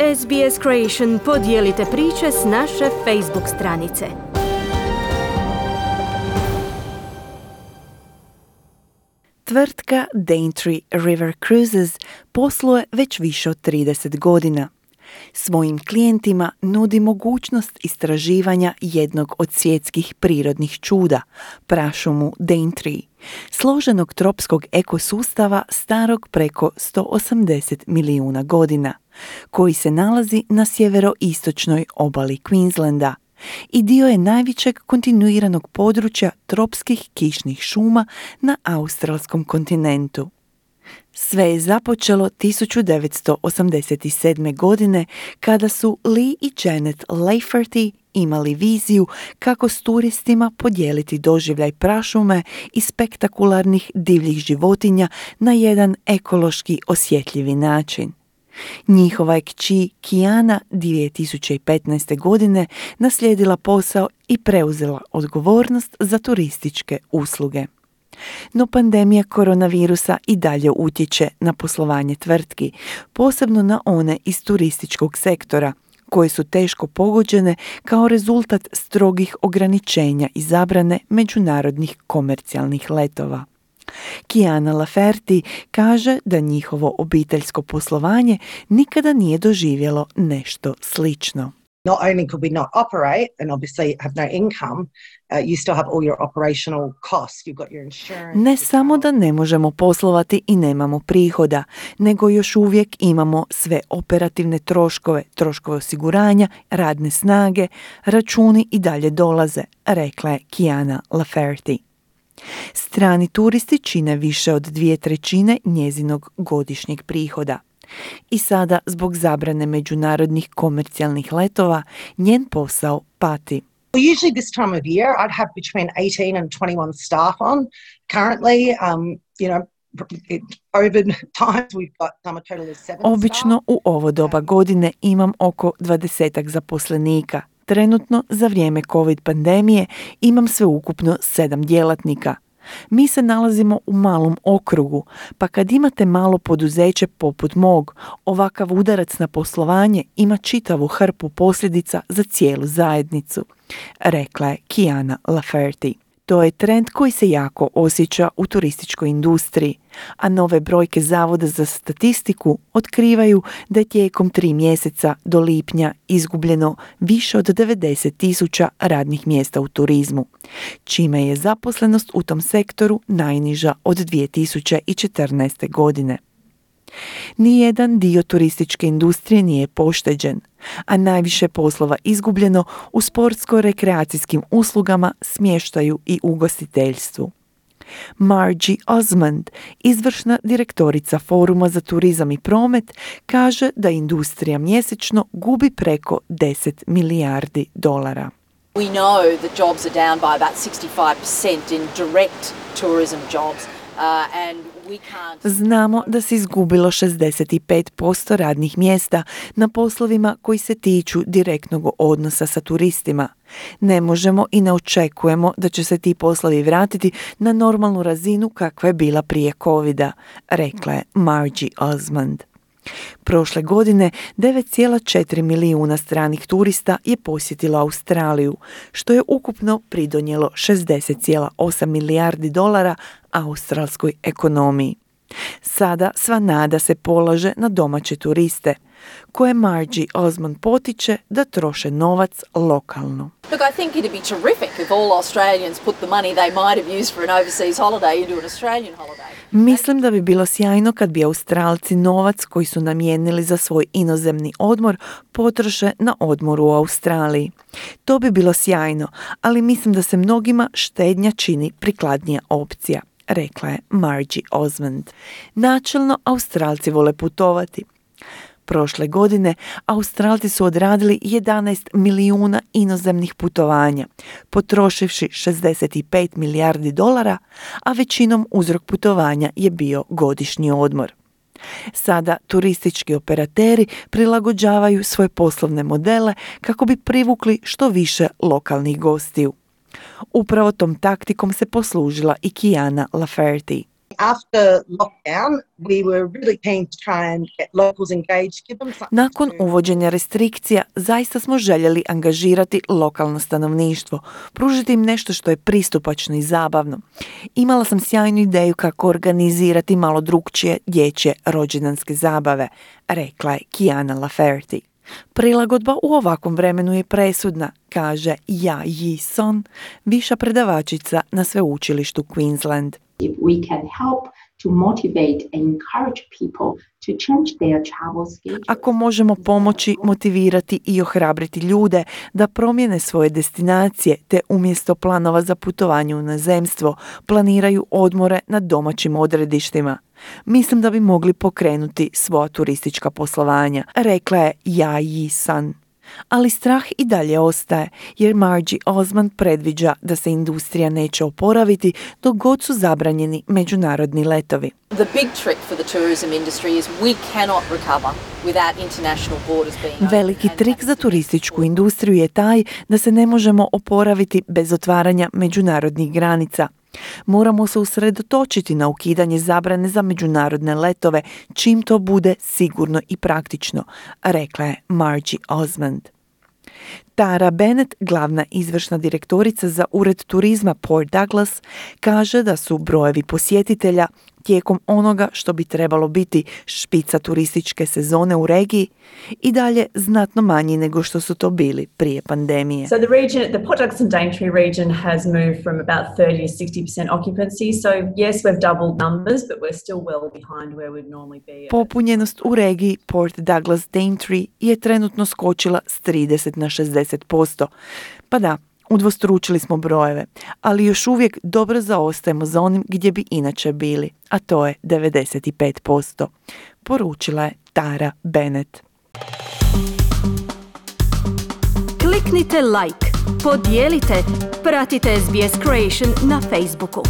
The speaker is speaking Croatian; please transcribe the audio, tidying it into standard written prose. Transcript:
SBS Creation podijelite priče s naše Facebook stranice. Tvrtka Daintree River Cruises posluje već više od 30 godina. Svojim klijentima nudi mogućnost istraživanja jednog od svjetskih prirodnih čuda, prašumu Daintree, složenog tropskog ekosustava starog preko 180 milijuna godina, koji se nalazi na sjeveroistočnoj obali Queenslanda i dio je najvećeg kontinuiranog područja tropskih kišnih šuma na australskom kontinentu. Sve je započelo 1987. godine kada su Lee i Janet Lafferty imali viziju kako s turistima podijeliti doživljaj prašume i spektakularnih divljih životinja na jedan ekološki osjetljivi način. Njihova je kći Kiana 2015. godine naslijedila posao i preuzela odgovornost za turističke usluge. No pandemija koronavirusa i dalje utječe na poslovanje tvrtki, posebno na one iz turističkog sektora, koje su teško pogođene kao rezultat strogih ograničenja i zabrane međunarodnih komercijalnih letova. Kiana Lafferty kaže da njihovo obiteljsko poslovanje nikada nije doživjelo nešto slično. Not only could we not operate and obviously have no income, you still have all your operational costs. You've got your insurance. Ne samo da ne možemo poslovati i nemamo prihoda, nego još uvijek imamo sve operativne troškove, troškove osiguranja, radne snage, računi i dalje dolaze, rekla je Kiana Lafferty. Strani turisti čine više od 2/3 njezinog godišnjeg prihoda. I sada, zbog zabrane međunarodnih komercijalnih letova, njen posao pati. Usually this time of year I'd have between 18 and 21 staff on. Currently, COVID times we've got a total of 7 staff. Obično u ovo doba godine imam oko 20 zaposlenika. Trenutno, za vrijeme COVID pandemije, imam sveukupno 7 djelatnika. Mi se nalazimo u malom okrugu, pa kad imate malo poduzeće poput mog, ovakav udarac na poslovanje ima čitavu hrpu posljedica za cijelu zajednicu, rekla je Kiana Lafferty. To je trend koji se jako osjeća u turističkoj industriji, a nove brojke Zavoda za statistiku otkrivaju da je tijekom 3 mjeseca do lipnja izgubljeno više od 90,000 radnih mjesta u turizmu, čime je zaposlenost u tom sektoru najniža od 2014. godine. Nijedan dio turističke industrije nije pošteđen, a najviše poslova izgubljeno u sportsko-rekreacijskim uslugama, smještaju i ugostiteljstvu. Margie Osmond, izvršna direktorica Foruma za turizam i promet, kaže da industrija mjesečno gubi preko $10 milijardi. We know that jobs are down by about 65% in direct tourism jobs. Znamo da se izgubilo 65% radnih mjesta na poslovima koji se tiču direktnog odnosa sa turistima. Ne možemo i ne očekujemo da će se ti poslovi vratiti na normalnu razinu kakva je bila prije covida, rekla je Margie Osmond. Prošle godine 9,4 milijuna stranih turista je posjetilo Australiju, što je ukupno pridonijelo $60,8 milijardi australskoj ekonomiji. Sada sva nada se polaže na domaće turiste, koje Margie Osmond potiče da troše novac lokalno. Look, I think it'd be terrific if all Australians put the money they might have used for an overseas holiday into an Australian holiday. Mislim da bi bilo sjajno kad bi Australci novac koji su namijenili za svoj inozemni odmor potroše na odmor u Australiji. To bi bilo sjajno, ali mislim da se mnogima štednja čini prikladnija opcija, rekla je Margie Osmond. Načelno, Australci vole putovati. Prošle godine Australci su odradili 11 milijuna inozemnih putovanja, potrošivši $65 milijardi, a većinom uzrok putovanja je bio godišnji odmor. Sada turistički operateri prilagođavaju svoje poslovne modele kako bi privukli što više lokalnih gostiju. Upravo tom taktikom se poslužila i Kiana Lafferty. After lockdown, we were really keen to try and get locals engaged, give them something. Nakon uvođenja restrikcija, zaista smo željeli angažirati lokalno stanovništvo, pružiti im nešto što je pristupačno i zabavno. Imala sam sjajnu ideju kako organizirati malo drukčije dječje rođendanske zabave, rekla je Kiana Lafferty. Prilagodba u ovakvom vremenu je presudna, kaže Ja Yi Son, viša predavačica na sveučilištu Queensland. If we can help to motivate and encourage people to change their travel schedule. Ako možemo pomoći, motivirati i ohrabriti ljude da promijene svoje destinacije te umjesto planova za putovanje u inozemstvo planiraju odmore na domaćim odredištima. Mislim da bi mogli pokrenuti svoja turistička poslovanja, rekla je Ja Yi San. Ali strah i dalje ostaje, jer Margie Osmond predviđa da se industrija neće oporaviti dok god su zabranjeni međunarodni letovi. The big trick for the tourism industry is we cannot recover without international borders being open. Veliki trik za turističku industriju je taj da se ne možemo oporaviti bez otvaranja međunarodnih granica. Moramo se usredotočiti na ukidanje zabrane za međunarodne letove čim to bude sigurno i praktično, rekla je Margie Osmond. Tara Bennett, glavna izvršna direktorica za Ured turizma Port Douglas, kaže da su brojevi posjetitelja tijekom onoga što bi trebalo biti špica turističke sezone u regiji i dalje znatno manji nego što su to bili prije pandemije. So the Port Douglas and Daintree region has moved from about 30 to 60% occupancy. So yes, we've doubled numbers, but we're still well behind where we'd normally be. Popunjenost u regiji Port Douglas Daintree je trenutno skočila s 30 na 60%. Pa da, udvostručili smo brojeve, ali još uvijek dobro zaostajemo za onim gdje bi inače bili, a to je 95%, poručila je Tara Bennett. Kliknite like, podijelite, pratite SBS Creation na Facebooku.